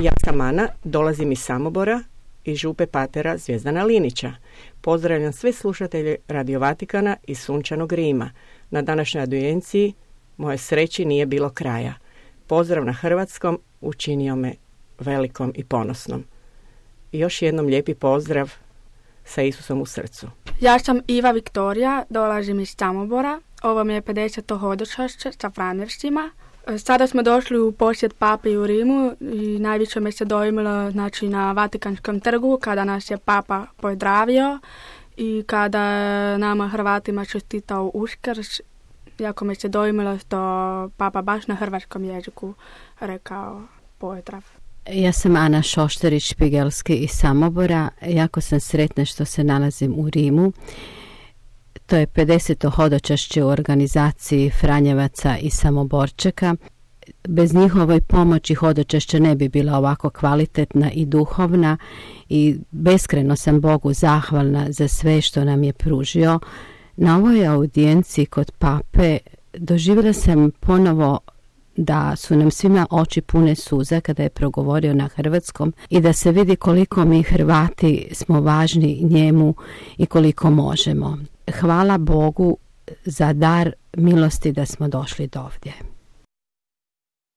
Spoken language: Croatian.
Ja sam Ana, dolazim iz Samobora i župe patera Zvjezdana Linića. Pozdravljam sve slušatelje Radio Vatikana iz sunčanog Rima. Na današnjoj audijenciji moje sreći nije bilo kraja. Pozdrav na hrvatskom učinio me velikom i ponosnom. I još jednom lijepi pozdrav sa Isusom u srcu. Ja sam Iva Viktorija, dolazim iz Samobora. Ovo mi je 50. hodočašće sa Franjevštima. Sada smo došli u posjet papi u Rimu i najviše me se dojmilo na Vatikanskom trgu kada nas je papa pozdravio i kada nama Hrvatima čestitao Uskrs. Jako me se dojmilo što papa baš na hrvatskom jeziku rekao pozdrav. Ja sam Ana Šošterić-Špigelski iz Samobora. Jako sam sretna što se nalazim u Rimu. To je 50. hodočašće u organizaciji Franjevaca i Samoborčeka. Bez njihove pomoći hodočašća ne bi bila ovako kvalitetna i duhovna i beskrajno sam Bogu zahvalna za sve što nam je pružio. Na ovoj audijenciji kod pape doživjela sam ponovo da su nam svima oči pune suza kada je progovorio na hrvatskom i da se vidi koliko mi Hrvati smo važni njemu i koliko možemo. Hvala Bogu za dar milosti da smo došli do ovdje.